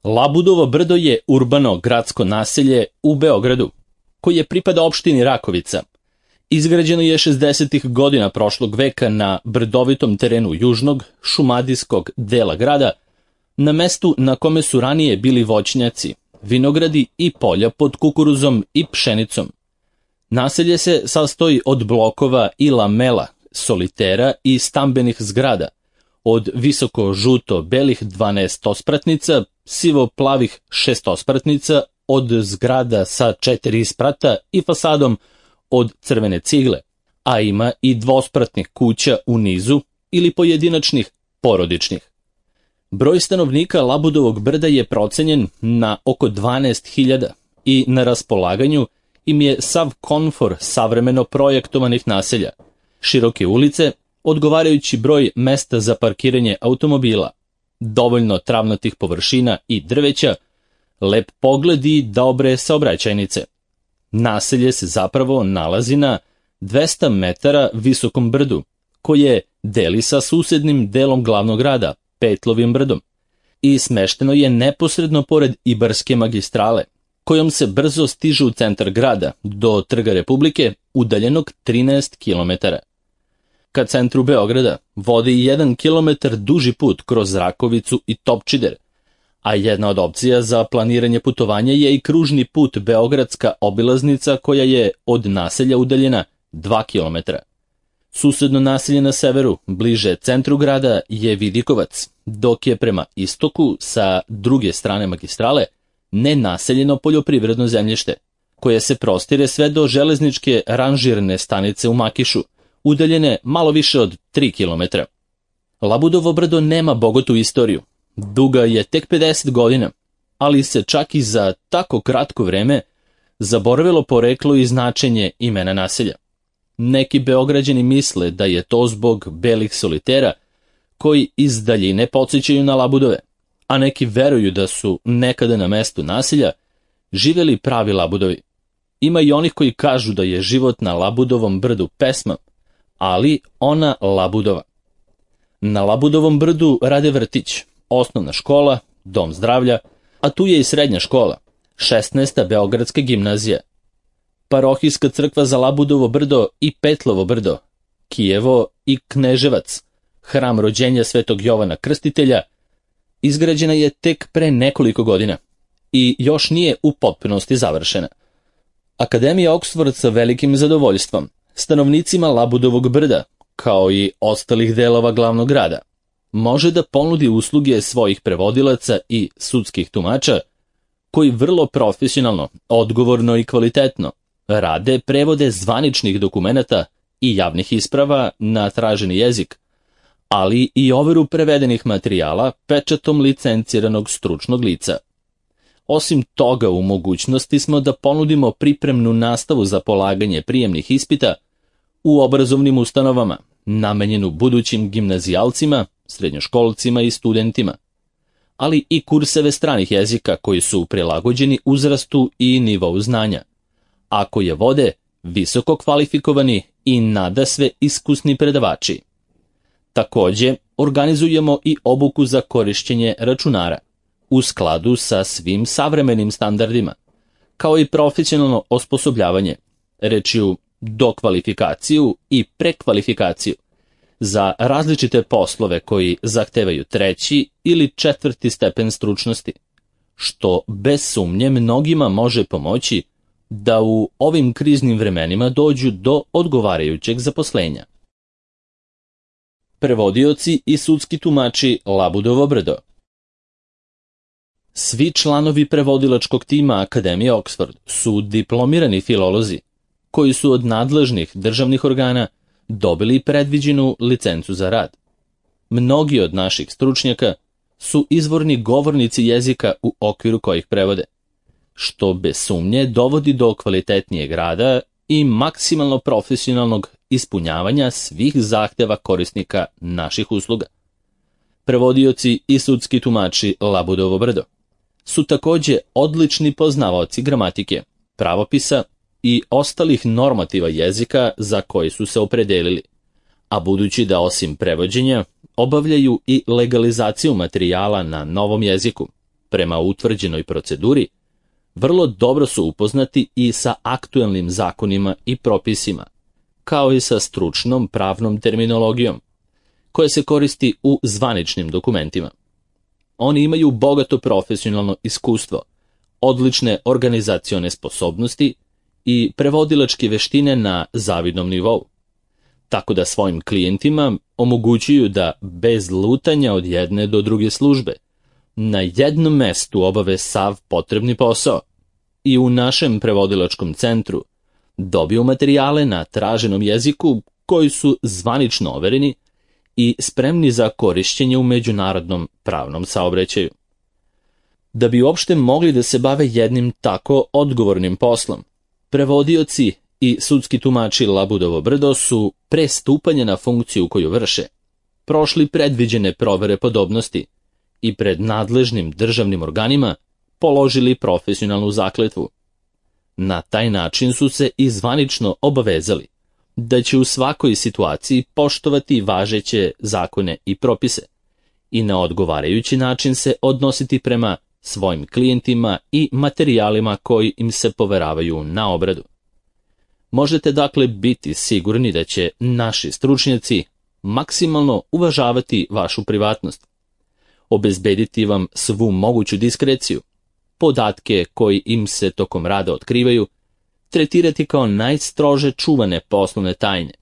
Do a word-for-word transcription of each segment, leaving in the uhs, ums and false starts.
Labudovo brdo je urbano gradsko naselje u Beogradu, koje pripada opštini Rakovica. Izgrađeno je šezdesetih godina prošlog veka na brdovitom terenu južnog, šumadijskog dela grada, na mestu na kome su ranije bili voćnjaci, vinogradi i polja pod kukuruzom i pšenicom. Naselje se sastoji od blokova i lamela, solitera i stambenih zgrada, od visoko-žuto-belih dvanaestospratnica, sivo-plavih šestospratnica, od zgrada sa četiri sprata i fasadom od crvene cigle, a ima i dvospratnih kuća u nizu ili pojedinačnih porodičnih. Broj stanovnika Labudovog brda je procenjen na oko dvanaest hiljada i na raspolaganju im je sav komfor savremeno projektovanih naselja, široke ulice, odgovarajući broj mesta za parkiranje automobila, dovoljno travnatih površina i drveća, lep pogled i dobre saobraćajnice. Naselje se zapravo nalazi na dvesta metara visokom brdu, koje deli sa susednim delom glavnog grada, Petlovim brdom, i smešteno je neposredno pored Ibarske magistrale, kojom se brzo stiže u centar grada, do Trga Republike, udaljenog trinaest kilometara. Ka centru Beograda vodi jedan kilometar duži put kroz Rakovicu i Topčider, a jedna od opcija za planiranje putovanja je i kružni put Beogradska obilaznica, koja je od naselja udaljena dva kilometra. Susedno naselje na severu, bliže centru grada, je Vidikovac, dok je prema istoku, sa druge strane magistrale, nenaseljeno poljoprivredno zemljište, koje se prostire sve do železničke ranžirne stanice u Makišu, udaljene malo više od tri kilometra. Labudovo brdo nema bogatu istoriju. Duga je tek pedeset godina, ali se čak i za tako kratko vreme zaboravilo poreklo i značenje imena naselja. Neki Beograđani misle da je to zbog belih solitera koji iz daljine podsjećaju na Labudove, a neki veruju da su nekada na mestu naselja živjeli pravi Labudovi. Ima i onih koji kažu da je život na Labudovom brdu pesma, ali ona Labudova. Na Labudovom brdu rade vrtić, osnovna škola, dom zdravlja, a tu je i srednja škola, šesnaesta Beogradska gimnazija, parohijska crkva za Labudovo brdo i Petlovo brdo, Kijevo i Kneževac, hram rođenja Svetog Jovana Krstitelja, izgrađena je tek pre nekoliko godina i još nije u potpunosti završena. Akademija Oxford sa velikim zadovoljstvom stanovnicima Labudovog brda, kao i ostalih delova glavnog grada, može da ponudi usluge svojih prevodilaca i sudskih tumača, koji vrlo profesionalno, odgovorno i kvalitetno rade prevode zvaničnih dokumenata i javnih isprava na traženi jezik, ali i overu prevedenih materijala pečatom licenciranog stručnog lica. Osim toga, u mogućnosti smo da ponudimo pripremnu nastavu za polaganje prijemnih ispita u obrazovnim ustanovama, namenjenu budućim gimnazijalcima, srednjoškolcima i studentima, ali i kurseve stranih jezika koji su prilagođeni uzrastu i nivou znanja, a koje vode visoko kvalifikovani i nadasve iskusni predavači. Takođe, organizujemo i obuku za korišćenje računara, u skladu sa svim savremenim standardima, kao i profesionalno osposobljavanje, rečju dokvalifikaciju i prekvalifikaciju, za različite poslove koji zahtevaju treći ili četvrti stepen stručnosti, što bez sumnje mnogima može pomoći da u ovim kriznim vremenima dođu do odgovarajućeg zaposlenja. Prevodioci i sudski tumači Labudovo brdo. Svi članovi prevodilačkog tima Akademije Oxford su diplomirani filolozi, koji su od nadležnih državnih organa dobili predviđenu licencu za rad. Mnogi od naših stručnjaka su izvorni govornici jezika u okviru kojih prevode, što bez sumnje dovodi do kvalitetnijeg rada i maksimalno profesionalnog ispunjavanja svih zahteva korisnika naših usluga. Prevodioci i sudski tumači Labudovo brdo su takođe odlični poznavaoci gramatike, pravopisa i ostalih normativa jezika za koji su se opredelili, a budući da osim prevođenja obavljaju i legalizaciju materijala na novom jeziku, prema utvrđenoj proceduri, vrlo dobro su upoznati i sa aktuelnim zakonima i propisima, kao i sa stručnom pravnom terminologijom, koja se koristi u zvaničnim dokumentima. Oni imaju bogato profesionalno iskustvo, odlične organizacione sposobnosti i prevodilačke veštine na zavidnom nivou, tako da svojim klijentima omogućuju da bez lutanja od jedne do druge službe na jednom mestu obave sav potrebni posao i u našem prevodilačkom centru dobiju materijale na traženom jeziku koji su zvanično overeni i spremni za korišćenje u međunarodnom pravnom saobraćaju. Da bi uopšte mogli da se bave jednim tako odgovornim poslom, prevodioci i sudski tumači Labudovo brdo su pre stupanja na funkciju koju vrše prošli predviđene provere podobnosti i pred nadležnim državnim organima položili profesionalnu zakletvu. Na taj način su se i zvanično obavezali da će u svakoj situaciji poštovati važeće zakone i propise i na odgovarajući način se odnositi prema svojim klijentima i materijalima koji im se poveravaju na obradu. Možete dakle biti sigurni da će naši stručnjaci maksimalno uvažavati vašu privatnost, obezbediti vam svu moguću diskreciju, podatke koji im se tokom rada otkrivaju, tretirati kao najstrože čuvane poslovne tajne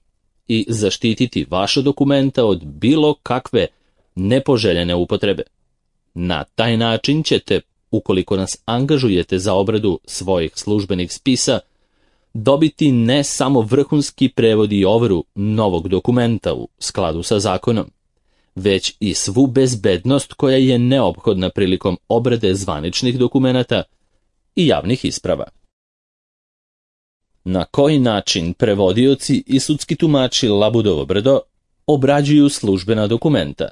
i zaštititi vaša dokumenta od bilo kakve nepoželjene upotrebe. Na taj način ćete, ukoliko nas angažujete za obradu svojih službenih spisa, dobiti ne samo vrhunski prevod i overu novog dokumenta u skladu sa zakonom, već i svu bezbednost koja je neophodna prilikom obrade zvaničnih dokumenata i javnih isprava. Na koji način prevodioci i sudski tumači Labudovo brdo obrađuju službena dokumenta?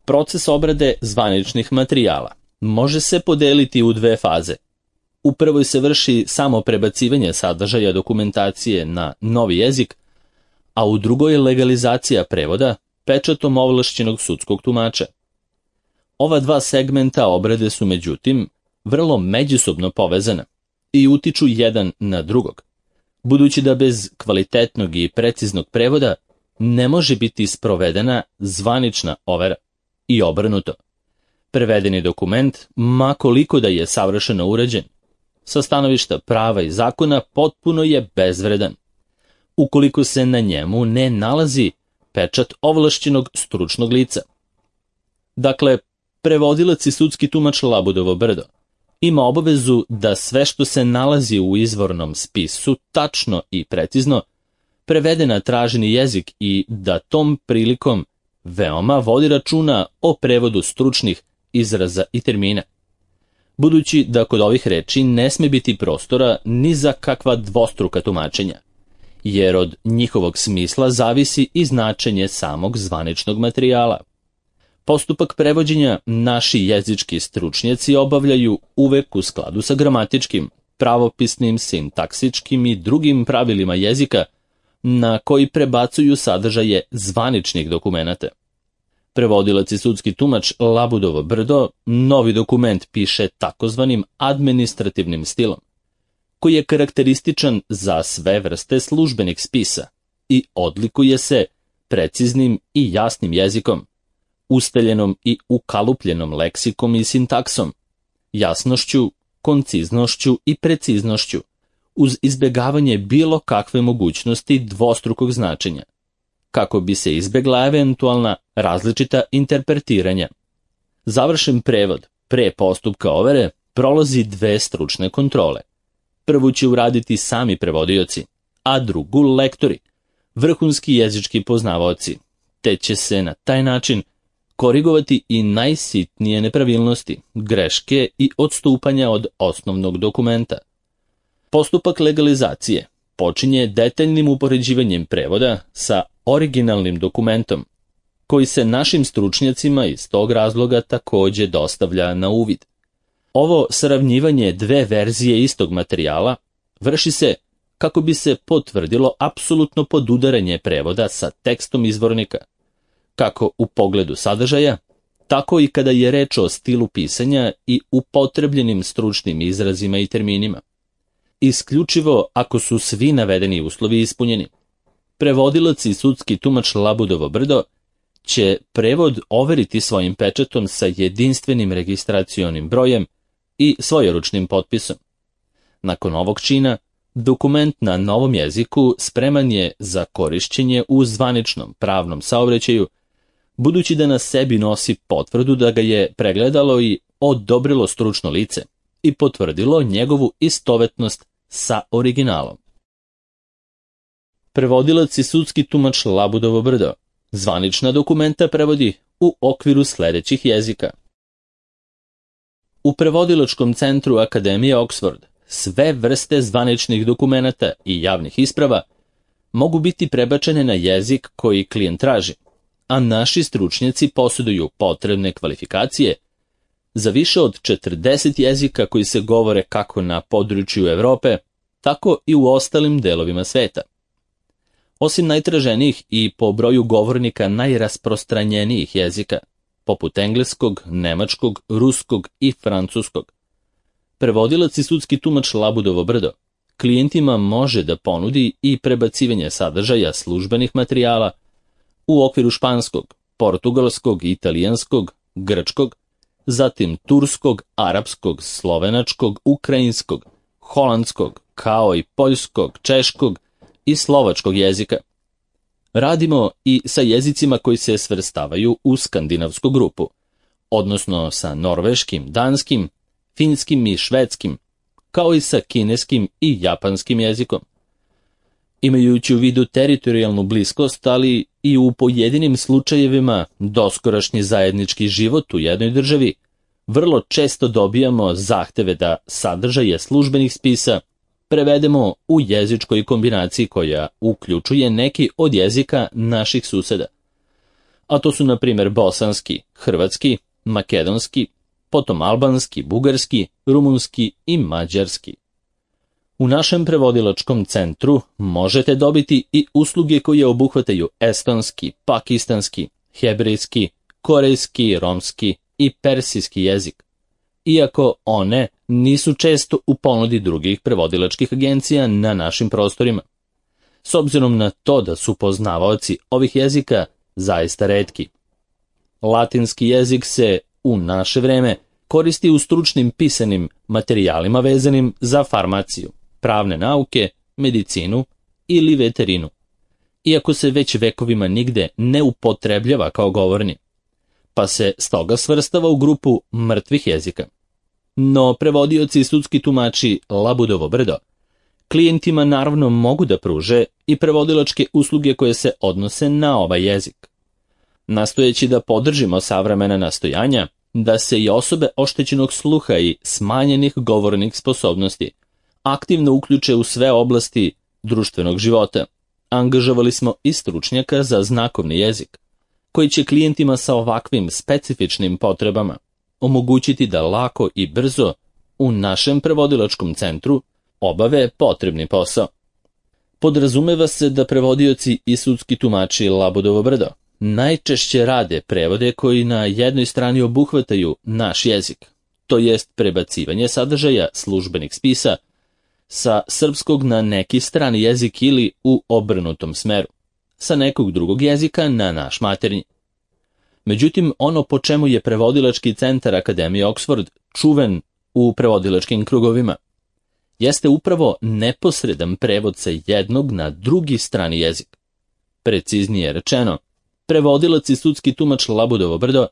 Proces obrade zvaničnih materijala može se podeliti u dve faze. U prvoj se vrši samo prebacivanje sadržaja dokumentacije na novi jezik, a u drugoj je legalizacija prevoda pečatom ovlašćenog sudskog tumača. Ova dva segmenta obrade su međutim vrlo međusobno povezana i utiču jedan na drugog, budući da bez kvalitetnog i preciznog prevoda ne može biti sprovedena zvanična overa i obrnuto. Prevedeni dokument, ma koliko da je savršeno uređen, sa stanovišta prava i zakona potpuno je bezvredan, ukoliko se na njemu ne nalazi pečat ovlašćenog stručnog lica. Dakle, prevodilac i sudski tumač Labudovo brdo ima obavezu da sve što se nalazi u izvornom spisu tačno i precizno prevede na traženi jezik i da tom prilikom veoma vodi računa o prevodu stručnih izraza i termina, budući da kod ovih reči ne sme biti prostora ni za kakva dvostruka tumačenja, jer od njihovog smisla zavisi i značenje samog zvaničnog materijala. Postupak prevođenja naši jezički stručnjaci obavljaju uvek u skladu sa gramatičkim, pravopisnim, sintaksičkim i drugim pravilima jezika na koji prebacuju sadržaje zvaničnih dokumenata. Prevodilac i sudski tumač Labudovo brdo novi dokument piše takozvanim administrativnim stilom, koji je karakterističan za sve vrste službenih spisa i odlikuje se preciznim i jasnim jezikom, ustaljenom i ukalupljenom leksikom i sintaksom, jasnošću, konciznošću i preciznošću, uz izbjegavanje bilo kakve mogućnosti dvostrukog značenja, kako bi se izbjegla eventualna različita interpretiranja. Završen prevod pre postupka overe prolazi dve stručne kontrole. Prvu će uraditi sami prevodioci, a drugu lektori, vrhunski jezički poznavaoci, te će se na taj način korigovati i najsitnije nepravilnosti, greške i odstupanja od osnovnog dokumenta. Postupak legalizacije počinje detaljnim upoređivanjem prevoda sa originalnim dokumentom, koji se našim stručnjacima iz tog razloga takođe dostavlja na uvid. Ovo sravnjivanje dve verzije istog materijala vrši se kako bi se potvrdilo apsolutno podudaranje prevoda sa tekstom izvornika, kako u pogledu sadržaja, tako i kada je reč o stilu pisanja i upotrebljenim stručnim izrazima i terminima. Isključivo ako su svi navedeni uslovi ispunjeni. Prevodilac i sudski tumač Labudovo brdo će prevod overiti svojim pečatom sa jedinstvenim registracionim brojem i svojeručnim potpisom. Nakon ovog čina, dokument na novom jeziku spreman je za korišćenje u zvaničnom pravnom saobraćaju, budući da na sebi nosi potvrdu da ga je pregledalo i odobrilo stručno lice i potvrdilo njegovu istovetnost sa originalom. Prevodilac i sudski tumač Labudovo brdo zvanična dokumenta prevodi u okviru sledećih jezika. U prevodilačkom centru Akademije Oxford sve vrste zvaničnih dokumenata i javnih isprava mogu biti prebačene na jezik koji klijent traži, a naši stručnjaci posjeduju potrebne kvalifikacije za više od četrdeset jezika koji se govore kako na području Evrope, tako i u ostalim delovima sveta. Osim najtraženijih i po broju govornika najrasprostranjenijih jezika, poput engleskog, nemačkog, ruskog i francuskog, prevodilac i sudski tumač Labudovo brdo klijentima može da ponudi i prebacivanje sadržaja službenih materijala u okviru španskog, portugalskog, italijanskog, grčkog, zatim turskog, arapskog, slovenačkog, ukrajinskog, holandskog, kao i poljskog, češkog i slovačkog jezika. Radimo i sa jezicima koji se svrstavaju u skandinavsku grupu, odnosno sa norveškim, danskim, finskim i švedskim, kao i sa kineskim i japanskim jezikom. Imajući u vidu teritorijalnu bliskost, ali i u pojedinim slučajevima doskorašnji zajednički život u jednoj državi, vrlo često dobijamo zahteve da sadržaje službenih spisa prevedemo u jezičkoj kombinaciji koja uključuje neki od jezika naših suseda. A to su na primjer bosanski, hrvatski, makedonski, potom albanski, bugarski, rumunski i mađarski. U našem prevodilačkom centru možete dobiti i usluge koje obuhvataju estonski, pakistanski, hebrejski, korejski, romski i persijski jezik, iako one nisu često u ponudi drugih prevodilačkih agencija na našim prostorima. S obzirom na to da su poznavaoci ovih jezika zaista retki. Latinski jezik se u naše vreme koristi u stručnim pisanim materijalima vezanim za farmaciju, pravne nauke, medicinu ili veterinu, iako se već vekovima nigde ne upotrebljava kao govorni, pa se stoga svrstava u grupu mrtvih jezika. No prevodioci i sudski tumači Labudovo brdo klijentima naravno mogu da pruže i prevodilačke usluge koje se odnose na ovaj jezik. Nastojeći da podržimo savremena nastojanja da se i osobe oštećenog sluha i smanjenih govornih sposobnosti aktivno uključe u sve oblasti društvenog života, angažovali smo i stručnjaka za znakovni jezik, koji će klijentima sa ovakvim specifičnim potrebama omogućiti da lako i brzo u našem prevodilačkom centru obave potrebni posao. Podrazumeva se da prevodioci i sudski tumači Labudovo brdo najčešće rade prevode koji na jednoj strani obuhvataju naš jezik, to jest prebacivanje sadržaja službenih spisa sa srpskog na neki strani jezik ili u obrnutom smeru, sa nekog drugog jezika na naš maternji. Međutim, ono po čemu je prevodilački centar Akademije Oxford čuven u prevodilačkim krugovima, jeste upravo neposredan prevod sa jednog na drugi strani jezik. Preciznije rečeno, prevodilac i sudski tumač Labudovo brdo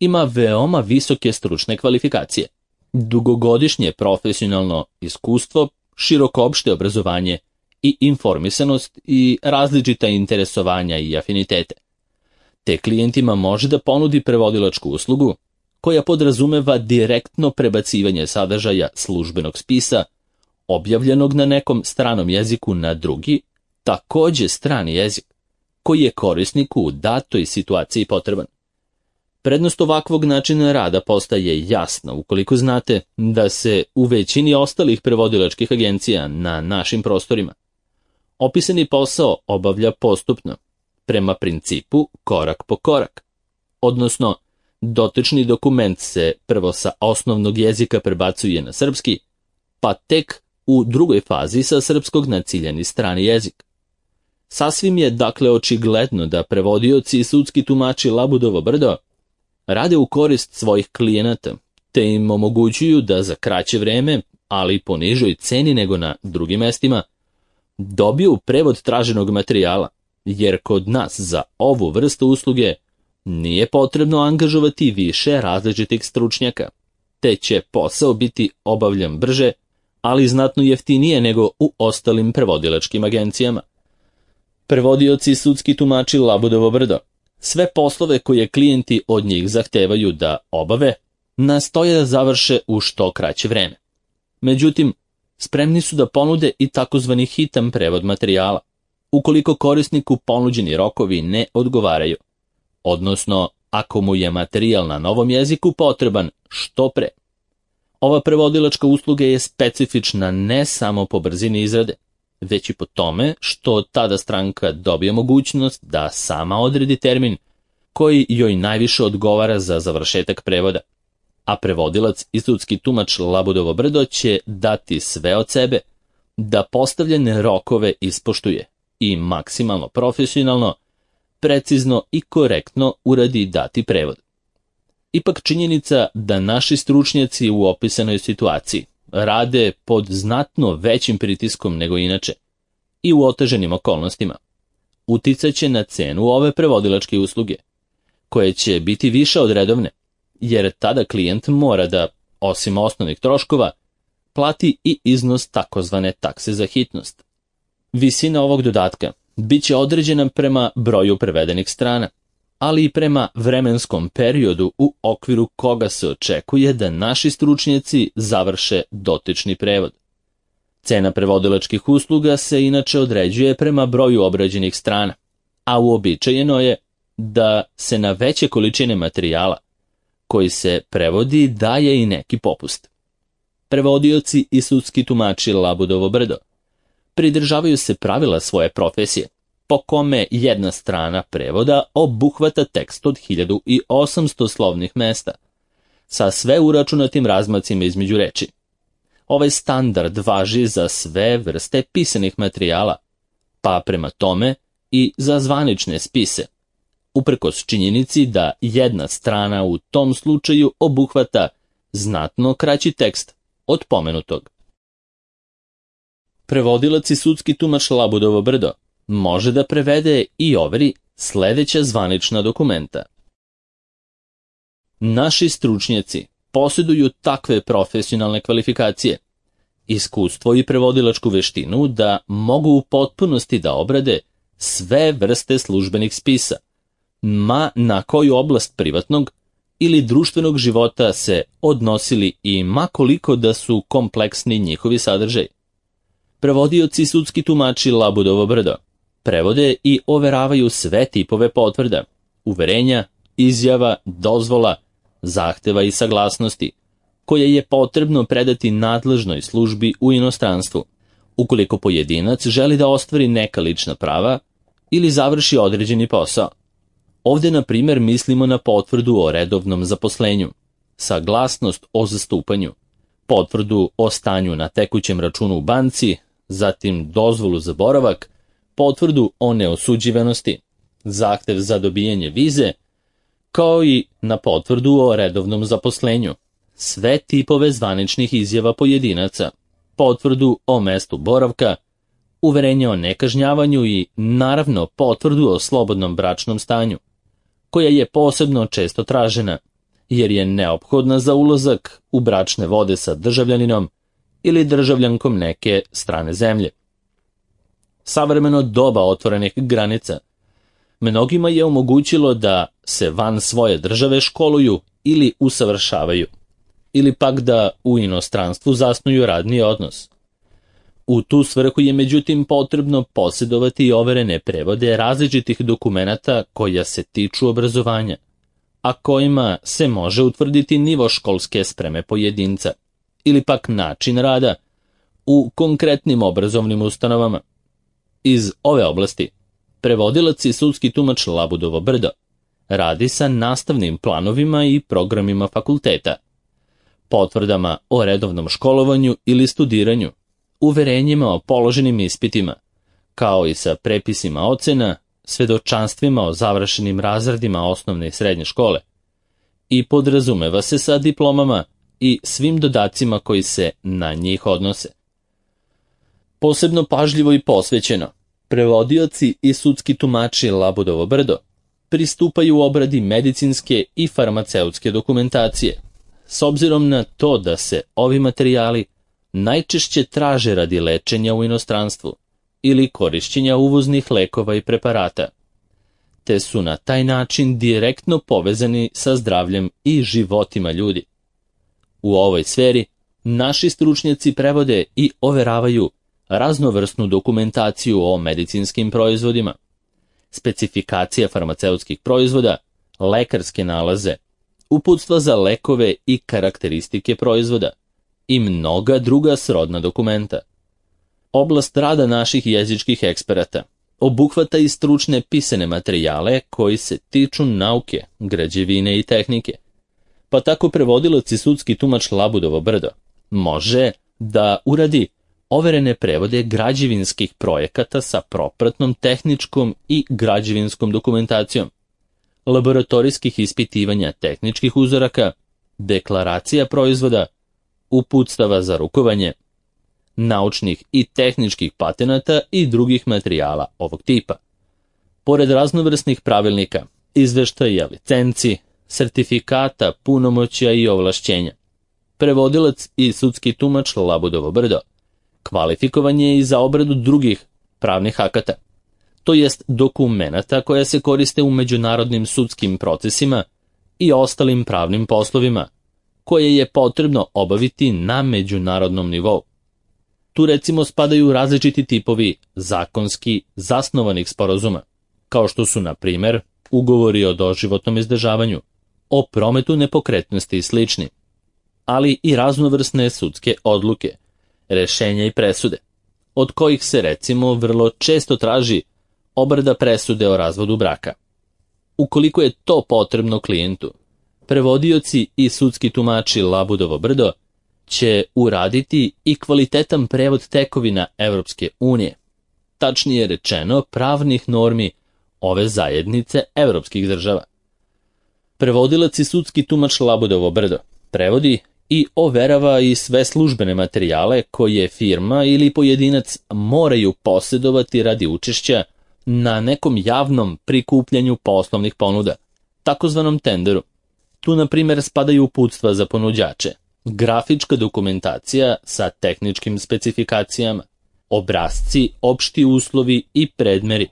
ima veoma visoke stručne kvalifikacije, dugogodišnje profesionalno iskustvo, široko opšte obrazovanje i informisanost i različita interesovanja i afinitete. Te klijentima može da ponudi prevodilačku uslugu koja podrazumeva direktno prebacivanje sadržaja službenog spisa objavljenog na nekom stranom jeziku na drugi, takođe strani jezik, koji je korisniku u datoj situaciji potreban. Prednost ovakvog načina rada postaje jasna ukoliko znate da se u većini ostalih prevodilačkih agencija na našim prostorima opisani posao obavlja postupno, prema principu korak po korak, odnosno dotični dokument se prvo sa osnovnog jezika prebacuje na srpski, pa tek u drugoj fazi sa srpskog na ciljani strani jezik. Sasvim je dakle očigledno da prevodioci i sudski tumači Labudovo brdo rade u korist svojih klijenata, te im omogućuju da za kraće vreme, ali po nižoj ceni nego na drugim mestima, dobiju prevod traženog materijala, jer kod nas za ovu vrstu usluge nije potrebno angažovati više različitih stručnjaka, te će posao biti obavljan brže, ali znatno jeftinije nego u ostalim prevodilačkim agencijama. Prevodioci i sudski tumači Labudovo brdo sve poslove koje klijenti od njih zahtevaju da obave, nastoje da završe u što kraće vreme. Međutim, spremni su da ponude i takozvani hitan prevod materijala, ukoliko korisniku ponuđeni rokovi ne odgovaraju, odnosno ako mu je materijal na novom jeziku potreban što pre. Ova prevodilačka usluga je specifična ne samo po brzini izrade, već i po tome što tada stranka dobije mogućnost da sama odredi termin koji joj najviše odgovara za završetak prevoda, a prevodilac i sudski tumač Labudovo brdo će dati sve od sebe da postavljene rokove ispoštuje i maksimalno profesionalno, precizno i korektno uradi dati prevod. Ipak činjenica da naši stručnjaci u opisanoj situaciji rade pod znatno većim pritiskom nego inače i u oteženim okolnostima uticaće na cenu ove prevodilačke usluge, koje će biti više od redovne, jer tada klijent mora da, osim osnovnih troškova, plati i iznos takozvane takse za hitnost. Visina ovog dodatka bit će određena prema broju prevedenih strana, ali i prema vremenskom periodu u okviru koga se očekuje da naši stručnjaci završe dotični prevod. Cena prevodilačkih usluga se inače određuje prema broju obrađenih strana, a uobičajeno je da se na veće količine materijala koji se prevodi daje i neki popust. Prevodioci i sudski tumači Labudovo brdo pridržavaju se pravila svoje profesije, po kome jedna strana prevoda obuhvata tekst od hiljadu osamsto slovnih mesta, sa sve uračunatim razmacima između reči. Ovaj standard važi za sve vrste pisanih materijala, pa prema tome i za zvanične spise, uprkos činjenici da jedna strana u tom slučaju obuhvata znatno kraći tekst od pomenutog. Prevodilac i sudski tumač Labudovo brdo može da prevede i overi sledeća zvanična dokumenta. Naši stručnjaci posjeduju takve profesionalne kvalifikacije, iskustvo i prevodilačku veštinu da mogu u potpunosti da obrade sve vrste službenih spisa, ma na koju oblast privatnog ili društvenog života se odnosili i ma koliko da su kompleksni njihovi sadržaj. Prevodioci i sudski tumači Labudovo brdo prevode i overavaju sve tipove potvrda, uverenja, izjava, dozvola, zahteva i saglasnosti, koje je potrebno predati nadležnoj službi u inostranstvu, ukoliko pojedinac želi da ostvari neka lična prava ili završi određeni posao. Ovdje, na primjer, mislimo na potvrdu o redovnom zaposlenju, saglasnost o zastupanju, potvrdu o stanju na tekućem računu u banci, zatim dozvolu za boravak, potvrdu o neosuđivanosti, zahtev za dobijanje vize, kao i na potvrdu o redovnom zaposlenju, sve tipove zvaničnih izjava pojedinaca, potvrdu o mestu boravka, uverenje o nekažnjavanju i, naravno, potvrdu o slobodnom bračnom stanju, koja je posebno često tražena, jer je neophodna za ulazak u bračne vode sa državljaninom ili državljankom neke strane zemlje. Savremeno doba otvorenih granica mnogima je omogućilo da se van svoje države školuju ili usavršavaju, ili pak da u inostranstvu zasnuju radni odnos. U tu svrhu je međutim potrebno posjedovati i overene prevode različitih dokumenata koja se tiču obrazovanja, a kojima se može utvrditi nivo školske spreme pojedinca, ili pak način rada u konkretnim obrazovnim ustanovama. Iz ove oblasti prevodilac i sudski tumač Labudovo brdo radi sa nastavnim planovima i programima fakulteta, potvrdama o redovnom školovanju ili studiranju, uverenjima o položenim ispitima, kao i sa prepisima ocena, svedočanstvima o završenim razredima osnovne i srednje škole, i podrazumeva se sa diplomama i svim dodacima koji se na njih odnose. Posebno pažljivo i posvećeno, prevodioci i sudski tumači Labudovo brdo pristupaju obradi medicinske i farmaceutske dokumentacije, s obzirom na to da se ovi materijali najčešće traže radi lečenja u inostranstvu ili korišćenja uvoznih lekova i preparata, te su na taj način direktno povezani sa zdravljem i životima ljudi. U ovoj sferi naši stručnjaci prevode i overavaju raznovrsnu dokumentaciju o medicinskim proizvodima, specifikacija farmaceutskih proizvoda, lekarske nalaze, uputstva za lekove i karakteristike proizvoda i mnoga druga srodna dokumenta. Oblast rada naših jezičkih eksperata obuhvata i stručne pisane materijale koji se tiču nauke, građevine i tehnike, pa tako prevodilac i sudski tumač Labudovo brdo može da uradi overene prevode građevinskih projekata sa propratnom tehničkom i građevinskom dokumentacijom, laboratorijskih ispitivanja tehničkih uzoraka, deklaracija proizvoda, uputstava za rukovanje, naučnih i tehničkih patenata i drugih materijala ovog tipa. Pored raznovrsnih pravilnika, izveštaja, licenci, sertifikata, punomoćja i ovlašćenja, prevodilac i sudski tumač Labudovo brdo kvalifikovan je i za obradu drugih pravnih akata, to jest dokumenata koja se koriste u međunarodnim sudskim procesima i ostalim pravnim poslovima, koje je potrebno obaviti na međunarodnom nivou. Tu recimo spadaju različiti tipovi zakonski zasnovanih sporazuma, kao što su, na primer, ugovori o doživotnom izdržavanju, o prometu nepokretnosti i slični, ali i raznovrsne sudske odluke, rešenja i presude, od kojih se recimo vrlo često traži obrada presude o razvodu braka. Ukoliko je to potrebno klijentu, prevodioci i sudski tumači Labudovo brdo će uraditi i kvalitetan prevod tekovina Evropske unije, tačnije rečeno pravnih normi ove zajednice evropskih država. Prevodilac i sudski tumač Labudovo brdo prevodi i overava i sve službene materijale koje firma ili pojedinac moraju posjedovati radi učešća na nekom javnom prikupljanju poslovnih ponuda, takozvanom tenderu. Tu, na primjer, spadaju uputstva za ponuđače, grafička dokumentacija sa tehničkim specifikacijama, obrasci, opšti uslovi i predmeri.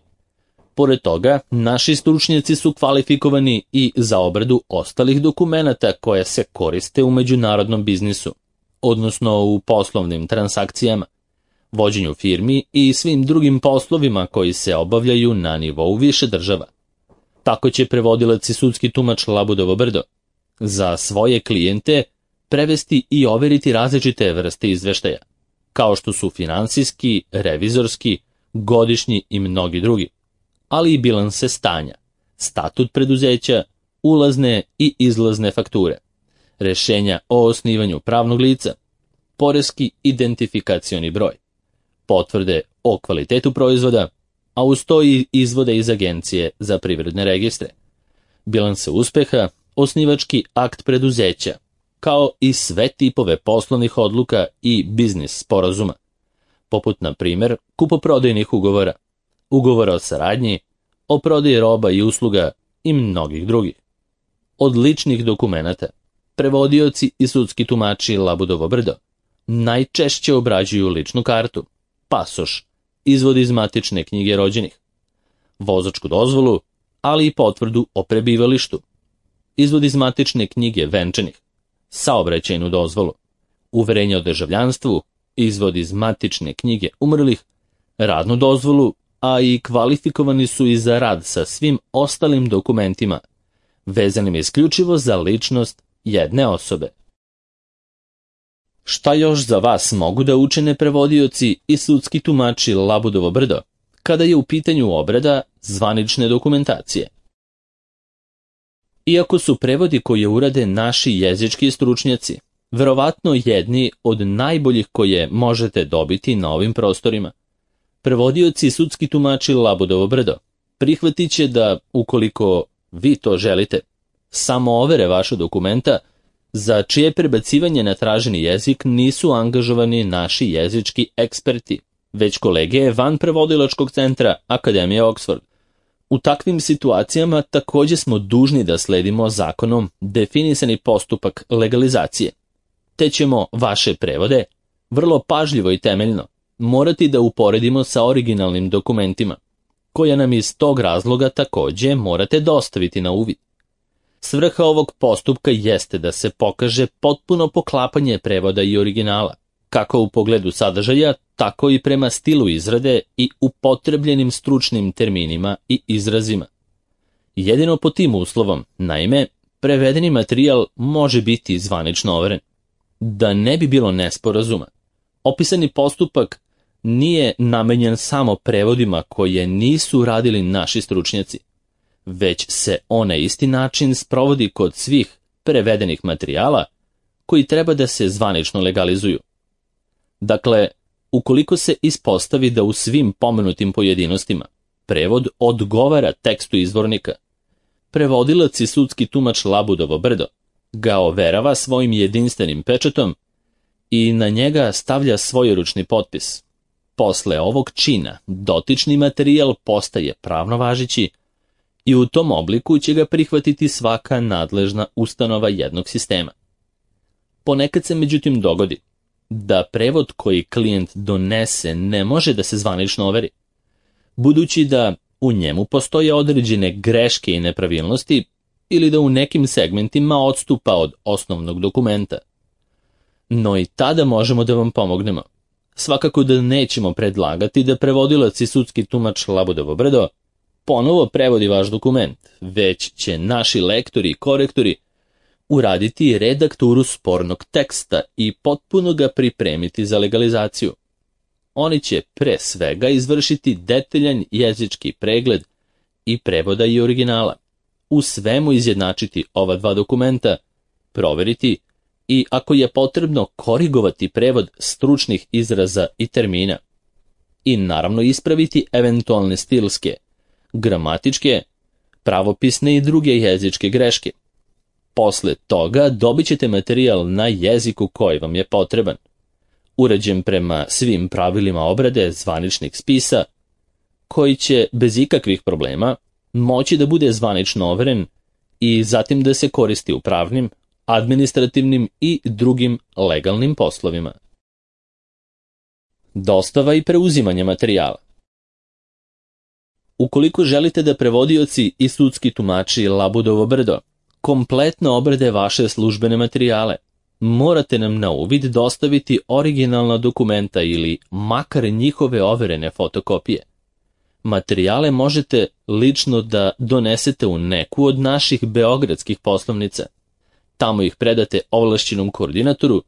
Pored toga, naši stručnjaci su kvalifikovani i za obradu ostalih dokumenata koje se koriste u međunarodnom biznisu, odnosno u poslovnim transakcijama, vođenju firmi i svim drugim poslovima koji se obavljaju na nivou više država. Tako će prevodilac i sudski tumač Labudovo brdo za svoje klijente prevesti i overiti različite vrste izveštaja, kao što su finansijski, revizorski, godišnji i mnogi drugi, ali i bilanse stanja, statut preduzeća, ulazne i izlazne fakture, rešenja o osnivanju pravnog lica, poreski identifikacioni broj, potvrde o kvalitetu proizvoda, a uz to i izvode iz Agencije za privredne registre, bilanse uspeha, osnivački akt preduzeća, kao i sve tipove poslovnih odluka i biznis sporazuma, poput, na primjer, kupoprodajnih ugovora, ugovora o saradnji, o prodaji roba i usluga i mnogih drugih. Od ličnih dokumenata, prevodioci i sudski tumači Labudovo brdo najčešće obrađuju ličnu kartu, pasoš, izvod iz matične knjige rođenih, vozačku dozvolu, ali i potvrdu o prebivalištu, izvod iz matične knjige venčanih, saobraćajnu dozvolu, uverenje o državljanstvu, izvod iz matične knjige umrlih, radnu dozvolu, a i kvalifikovani su i za rad sa svim ostalim dokumentima, vezanim isključivo za ličnost jedne osobe. Šta još za vas mogu da učine prevodioci i sudski tumači Labudovo brdo, kada je u pitanju obrada zvanične dokumentacije? Iako su prevodi koje urade naši jezički stručnjaci, verovatno jedni od najboljih koje možete dobiti na ovim prostorima, prevodioci i sudski tumači Labudovo brdo prihvatit će da, ukoliko vi to želite, samo overe vaša dokumenta, za čije prebacivanje na traženi jezik nisu angažovani naši jezički eksperti, već kolege van prevodilačkog centra Akademije Oxford. U takvim situacijama također smo dužni da sledimo zakonom definisani postupak legalizacije, te ćemo vaše prevode vrlo pažljivo i temeljno morati da uporedimo sa originalnim dokumentima, koje nam iz tog razloga također morate dostaviti na uvid. Svrha ovog postupka jeste da se pokaže potpuno poklapanje prevoda i originala, kako u pogledu sadržaja, tako i prema stilu izrade i upotrebljenim stručnim terminima i izrazima. Jedino pod tim uslovom, naime, prevedeni materijal može biti zvanično overen. Da ne bi bilo nesporazuma, opisani postupak nije namenjen samo prevodima koje nisu radili naši stručnjaci, već se on na isti način sprovodi kod svih prevedenih materijala koji treba da se zvanično legalizuju. Dakle, ukoliko se ispostavi da u svim pomenutim pojedinostima prevod odgovara tekstu izvornika, prevodilac i sudski tumač Labudovo brdo ga overava svojim jedinstvenim pečatom i na njega stavlja svojeručni potpis. Posle ovog čina dotični materijal postaje pravno važeći i u tom obliku će ga prihvatiti svaka nadležna ustanova jednog sistema. Ponekad se međutim dogodi da prevod koji klijent donese ne može da se zvanično overi, budući da u njemu postoje određene greške i nepravilnosti ili da u nekim segmentima odstupa od osnovnog dokumenta. No i tada možemo da vam pomognemo. Svakako da nećemo predlagati da prevodilac i sudski tumač Labudovo brdo ponovo prevodi vaš dokument, već će naši lektori i korektori uraditi redakturu spornog teksta i potpuno ga pripremiti za legalizaciju. Oni će pre svega izvršiti detaljan jezički pregled i prevoda i originala, u svemu izjednačiti ova dva dokumenta, proveriti i ako je potrebno korigovati prevod stručnih izraza i termina i naravno ispraviti eventualne stilske, gramatičke, pravopisne i druge jezičke greške. Posle toga dobit ćete materijal na jeziku koji vam je potreban, uređen prema svim pravilima obrade zvaničnih spisa, koji će bez ikakvih problema moći da bude zvanično overen i zatim da se koristi u pravnim, administrativnim i drugim legalnim poslovima. Dostava i preuzimanje materijala. Ukoliko želite da prevodioci i sudski tumači Labudovo brdo kompletno obrade vaše službene materijale, morate nam na uvid dostaviti originalna dokumenta ili makar njihove overene fotokopije. Materijale možete lično da donesete u neku od naših beogradskih poslovnica. Tamo ih predate ovlašćenom koordinatoru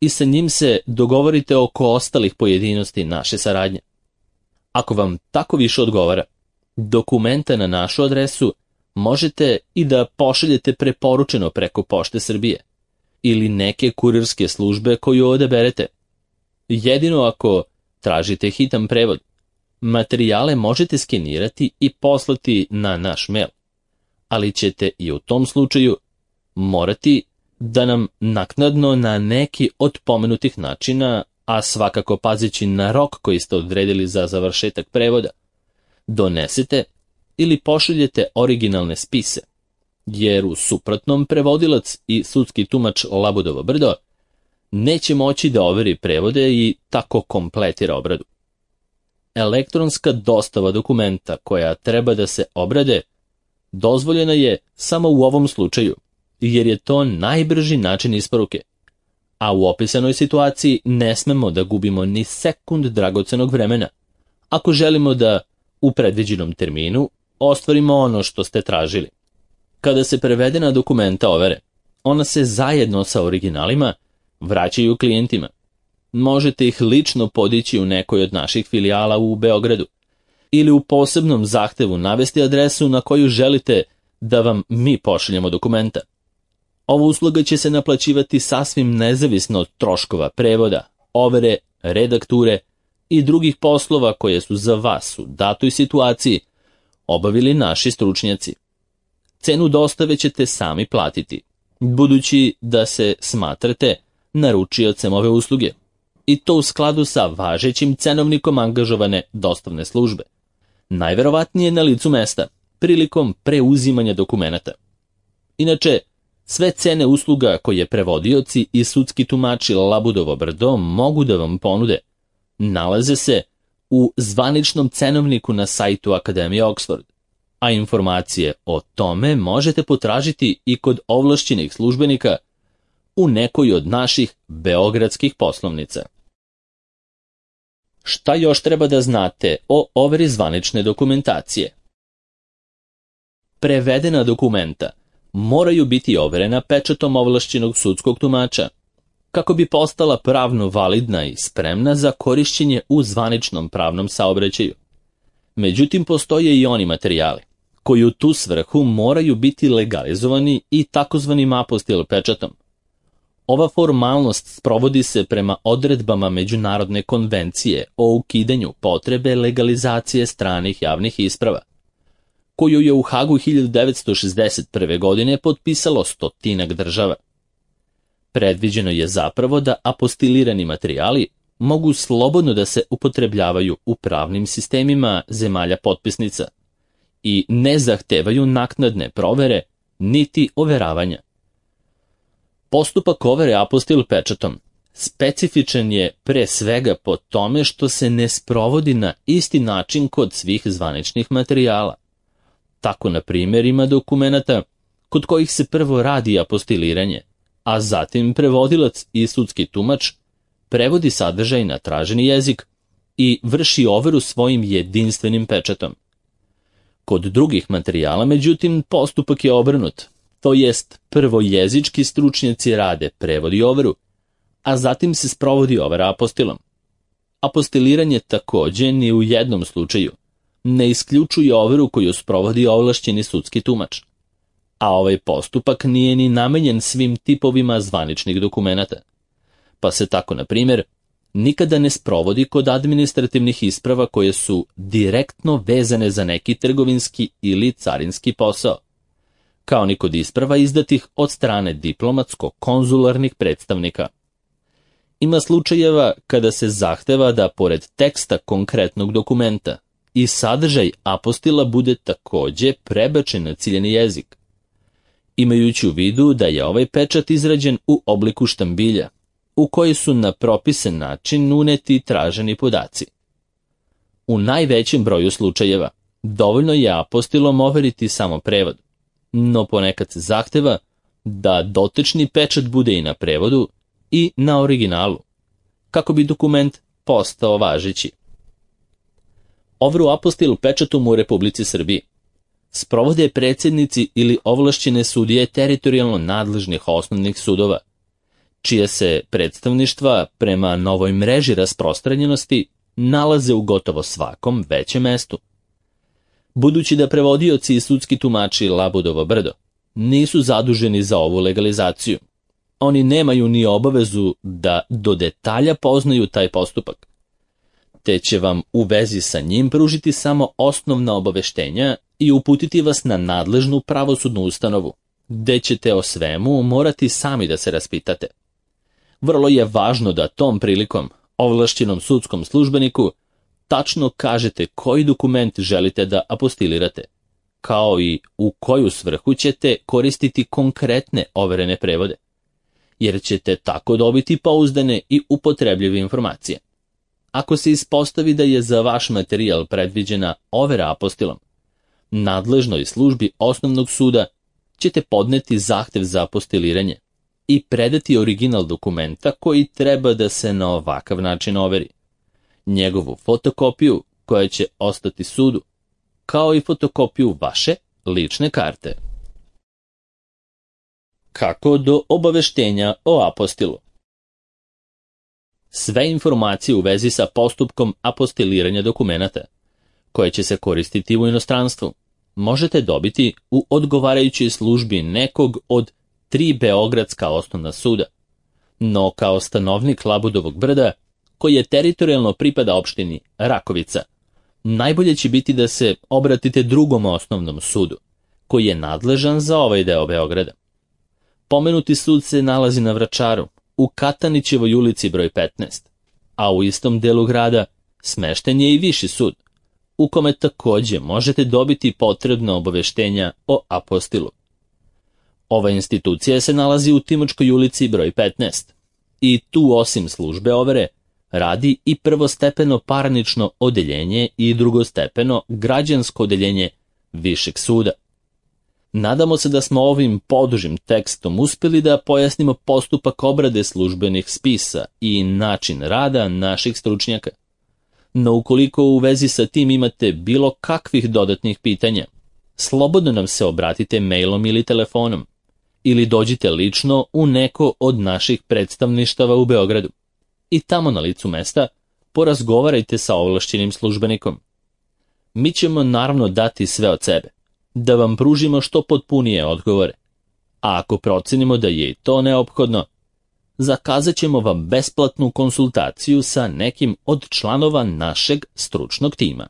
i sa njim se dogovorite oko ostalih pojedinosti naše saradnje. Ako vam tako više odgovara, dokumenta na našu adresu možete i da pošaljete preporučeno preko Pošte Srbije ili neke kurirske službe koju odaberete. Jedino ako tražite hitan prevod, materijale možete skenirati i poslati na naš mail, ali ćete i u tom slučaju morati da nam naknadno na neki od pomenutih načina, a svakako pazeći na rok koji ste odredili za završetak prevoda, donesete ili pošaljete originalne spise, jer u suprotnom prevodilac i sudski tumač Labudovo brdo neće moći da overi prevode i tako kompletira obradu. Elektronska dostava dokumenta koja treba da se obrade dozvoljena je samo u ovom slučaju, jer je to najbrži način isporuke, a u opisanoj situaciji ne smemo da gubimo ni sekund dragocenog vremena, ako želimo da u predviđenom terminu ostvarimo ono što ste tražili. Kada se prevedena dokumenta overe, ona se zajedno sa originalima vraćaju klijentima. Možete ih lično podići u nekoj od naših filijala u Beogradu ili u posebnom zahtevu navesti adresu na koju želite da vam mi pošaljemo dokumenta. Ova usluga će se naplaćivati sasvim nezavisno od troškova prevoda, overe, redakture i drugih poslova koje su za vas u datoj situaciji obavili naši stručnjaci. Cenu dostave ćete sami platiti, budući da se smatrate naručiocem ove usluge, i to u skladu sa važećim cenovnikom angažovane dostavne službe, najverovatnije na licu mesta, prilikom preuzimanja dokumenata. Inače, sve cene usluga koje prevodioci i sudski tumači Labudovo brdo mogu da vam ponude nalaze se u zvaničnom cenovniku na sajtu Akademije Oxford, a informacije o tome možete potražiti i kod ovlašćenih službenika u nekoj od naših beogradskih poslovnica. Šta još treba da znate o overi zvanične dokumentacije? Prevedena dokumenta moraju biti overena pečatom ovlašćenog sudskog tumača, kako bi postala pravno validna i spremna za korišćenje u zvaničnom pravnom saobraćaju. Međutim, postoje i oni materijali koji u tu svrhu moraju biti legalizovani i takozvanim apostil pečatom. Ova formalnost sprovodi se prema odredbama Međunarodne konvencije o ukidanju potrebe legalizacije stranih javnih isprava, koju je u Hagu hiljadu devetsto šezdeset prve. godine potpisalo stotinak država. Predviđeno je zapravo da apostilirani materijali mogu slobodno da se upotrebljavaju u pravnim sistemima zemalja potpisnica i ne zahtevaju naknadne provere niti overavanja. Postupak overe apostil pečatom specifičan je pre svega po tome što se ne sprovodi na isti način kod svih zvaničnih materijala. Tako, na primjer, ima dokumenata kod kojih se prvo radi apostiliranje, a zatim prevodilac i sudski tumač prevodi sadržaj na traženi jezik i vrši overu svojim jedinstvenim pečatom. Kod drugih materijala, međutim, postupak je obrnut, to jest prvo jezički stručnjaci rade prevod i overu, a zatim se sprovodi overa apostilom. Apostiliranje takođe ni u jednom slučaju ne isključuje overu koju sprovodi ovlašćeni sudski tumač, a ovaj postupak nije ni namenjen svim tipovima zvaničnih dokumenata, pa se tako, na primjer, nikada ne sprovodi kod administrativnih isprava koje su direktno vezane za neki trgovinski ili carinski posao, kao ni kod isprava izdatih od strane diplomatsko-konzularnih predstavnika. Ima slučajeva kada se zahteva da pored teksta konkretnog dokumenta i sadržaj apostila bude takođe prebačen na ciljeni jezik, imajući u vidu da je ovaj pečat izrađen u obliku štambilja, u koji su na propisan način uneti traženi podaci. U najvećem broju slučajeva dovoljno je apostilom overiti samo prevod, no ponekad se zahteva da dotični pečat bude i na prevodu i na originalu, kako bi dokument postao važeći. Overu apostil pečatom u Republici Srbiji sprovode predsjednici ili ovlašćene sudije teritorijalno nadležnih osnovnih sudova, čije se predstavništva prema novoj mreži rasprostranjenosti nalaze u gotovo svakom većem mestu. Budući da prevodioci i sudski tumači Labudovo brdo nisu zaduženi za ovu legalizaciju, oni nemaju ni obavezu da do detalja poznaju taj postupak, te će vam u vezi sa njim pružiti samo osnovna obaveštenja i uputiti vas na nadležnu pravosudnu ustanovu, gde ćete o svemu morati sami da se raspitate. Vrlo je važno da tom prilikom ovlašćenom sudskom službeniku tačno kažete koji dokument želite da apostilirate, kao i u koju svrhu ćete koristiti konkretne overene prevode, jer ćete tako dobiti pouzdane i upotrebljive informacije. Ako se ispostavi da je za vaš materijal predviđena overa apostilom, nadležnoj službi osnovnog suda ćete podneti zahtev za apostiliranje i predati original dokumenta koji treba da se na ovakav način overi, njegovu fotokopiju koja će ostati sudu, kao i fotokopiju vaše lične karte. Kako do obaveštenja o apostilu? Sve informacije u vezi sa postupkom apostiliranja dokumenata, koje će se koristiti u inostranstvu, možete dobiti u odgovarajućoj službi nekog od tri beogradska osnovna suda. No kao stanovnik Labudovog brda, koji je teritorijalno pripada opštini Rakovica, najbolje će biti da se obratite drugom osnovnom sudu, koji je nadležan za ovaj deo Beograda. Pomenuti sud se nalazi na Vračaru, u Katanićevoj ulici broj petnaest, a u istom delu grada smešten je i Viši sud, u kome takođe možete dobiti potrebna obaveštenja o apostilu. Ova institucija se nalazi u Timočkoj ulici broj petnaest i tu osim službe overe radi i prvostepeno parnično odeljenje i drugostepeno građansko odeljenje Višeg suda. Nadamo se da smo ovim podužim tekstom uspeli da pojasnimo postupak obrade službenih spisa i način rada naših stručnjaka. No ukoliko u vezi sa tim imate bilo kakvih dodatnih pitanja, slobodno nam se obratite mailom ili telefonom, ili dođite lično u neko od naših predstavništava u Beogradu i tamo na licu mesta porazgovarajte sa ovlašćenim službenikom. Mi ćemo naravno dati sve od sebe, da vam pružimo što potpunije odgovore, a ako procenimo da je i to neophodno, zakazat ćemo vam besplatnu konsultaciju sa nekim od članova našeg stručnog tima.